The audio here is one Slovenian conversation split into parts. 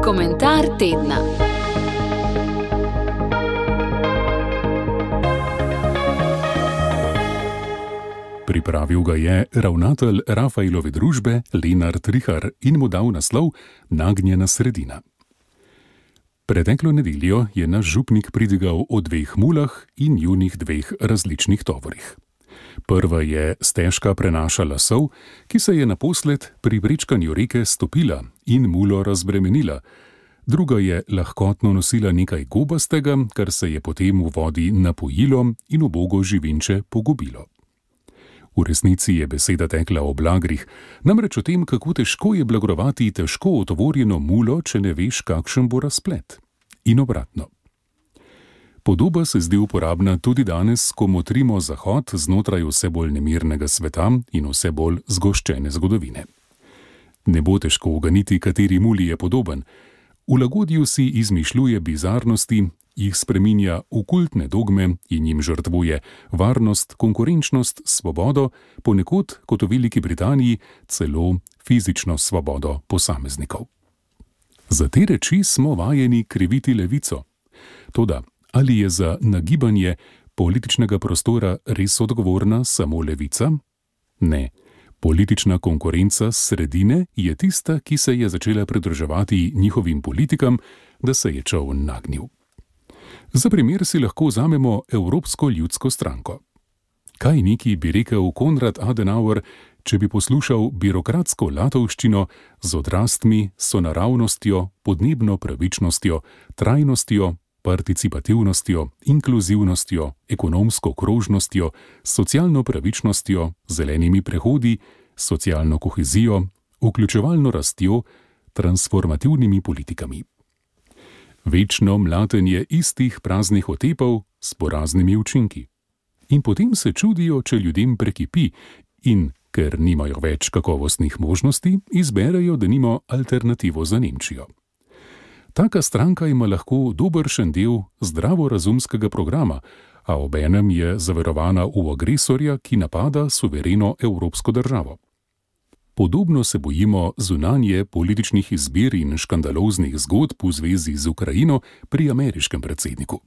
Komentar tedna. Pripravil ga je ravnatelj Rafaelove družbe Lenart Rihar in mu dal naslov Nagnjena sredina. Preteklo nedeljo je naš župnik pridigal o 2 mulah in njunih 2 različnih tovorih. Prva je stežka prenašala sol, ki se je naposled pri prečkanju reke stopila in mulo razbremenila. Druga je lahkotno nosila nekaj gobastega, kar se je potem v vodi napojilo in ubogo živinče pogubilo. V resnici je beseda tekla o blagrih, namreč o tem, kako težko je blagrovati težko otovorjeno mulo, če ne veš, kakšen bo razplet. In obratno. Podoba se zdi uporabna tudi danes, ko motrimo zahod znotraj vse bolj nemirnega sveta in vse bolj zgoščene zgodovine. Ne bo težko uganiti, kateri muli je podoben. V lagodju si izmišljuje bizarnosti, jih spreminja v kultne dogme in jim žrtvuje varnost, konkurenčnost, svobodo, ponekod, kot v Veliki Britaniji, celo fizično svobodo posameznikov. Za te reči smo vajeni kriviti levico. Toda, ali je za nagibanje političnega prostora res odgovorna samo levica? Ne. Politična konkurenca s sredine je tista, ki se je začela pridruževati njihovim politikam, da se je čoln nagnil. Za primer si lahko vzamemo Evropsko ljudsko stranko. Kaj neki bi rekel Konrad Adenauer, če bi poslušal birokratsko latovščino z odrastmi, sonaravnostjo, podnebno pravičnostjo, trajnostjo, participativnostjo, inkluzivnostjo, ekonomsko krožnostjo, socialno pravičnostjo, zelenimi prehodi, socialno kohezijo, vključevalno rastjo, transformativnimi politikami. Večno mlatenje istih praznih otepov s poraznimi učinki. In potem se čudijo, če ljudem prekipi in, ker nimajo več kakovostnih možnosti, izberejo denimo alternativo za Nemčijo. Taka stranka ima lahko dobršen del zdravorazumskega programa, a obenem je zaverovana v agresorja, ki napada suvereno evropsko državo. Podobno se bojimo zunanje političnih izbir in škandaloznih zgodb v zvezi z Ukrajino pri ameriškem predsedniku.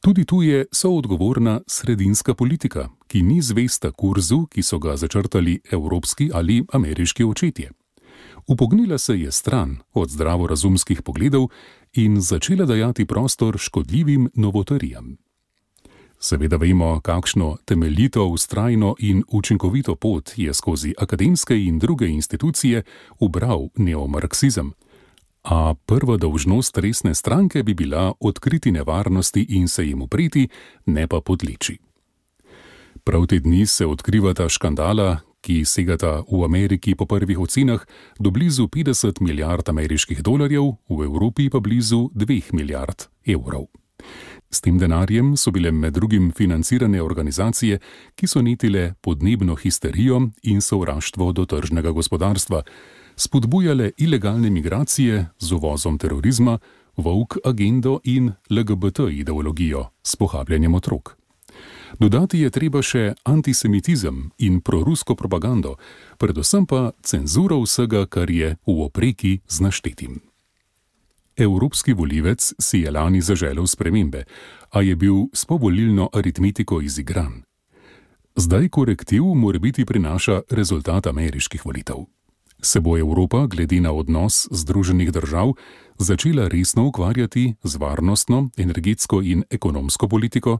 Tudi tu je soodgovorna sredinska politika, ki ni zvesta kurzu, ki so ga začrtali evropski ali ameriški očetje. Upognila se je stran od zdravorazumskih pogledov in začela dajati prostor škodljivim novotarijam. Seveda vemo, kakšno temeljito, vztrajno in učinkovito pot je skozi akademske in druge institucije ubral neomarksizem. A prva dolžnost resne stranke bi bila odkriti nevarnosti in se jim upreti, ne pa podleči. Prav te dni se odkrivata škandala, ki segata v Ameriki po prvih ocenah do blizu 50 milijard ameriških dolarjev, v Evropi pa blizu 2 milijard evrov. S tem denarjem so bile med drugim financirane organizacije, ki so netile podnebno histerijo in sovraštvo do tržnega gospodarstva, spodbujale ilegalne migracije z uvozom terorizma, woke agendo in LGBT ideologijo s pohabljanjem otrok. Dodati je treba še antisemitizem in prorusko propagando, predvsem pa cenzuro vsega, kar je v opreki z naštetim. Evropski volivec si je lani zaželel spremembe, a je bil s povolilno aritmetiko izigran. Zdaj korektiv morebiti prinaša rezultat ameriških volitev. Se bo Evropa glede na odnos Združenih držav začela resno ukvarjati z varnostno, energetsko in ekonomsko politiko?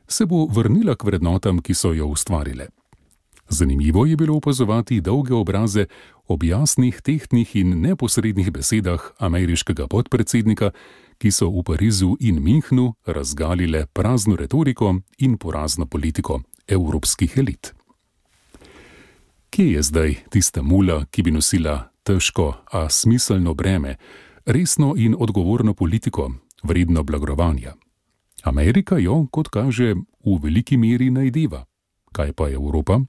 Se bo vrnila k vrednotam, ki so jo ustvarile? Zanimivo je bilo opazovati dolge obraze ob jasnih, tehtnih in neposrednih besedah ameriškega podpredsednika, ki so v Parizu in Münchnu razgalile prazno retoriko in porazno politiko evropskih elit. Kje je zdaj tista mula, ki bi nosila težko, a smiselno breme, resno in odgovorno politiko, vredno blagrovanja? Amerika jo, kot kaže, v veliki meri najdeva. Kaj pa Evropa?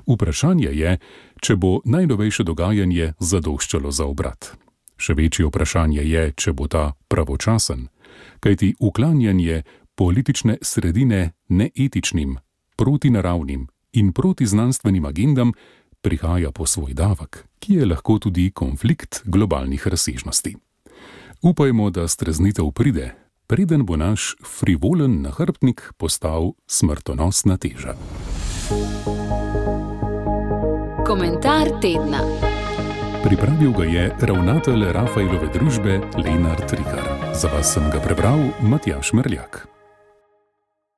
Vprašanje je, če bo najnovejše dogajanje zadoščalo za obrat. Še večje vprašanje je, če bo ta pravočasen, kajti uklanjanje politične sredine neetičnim, protinaravnim in protiznanstvenim agendam prihaja po svoj davek, ki je lahko tudi konflikt globalnih razsežnosti. Upajmo, da streznitev pride, preden bo naš frivolen nahrbtnik postal smrtonosna teža. Komentar tedna. Pripravil ga je ravnatelj Rafaelove družbe Lenart Rihar. Za vas sem ga prebral Matjaž Merljak.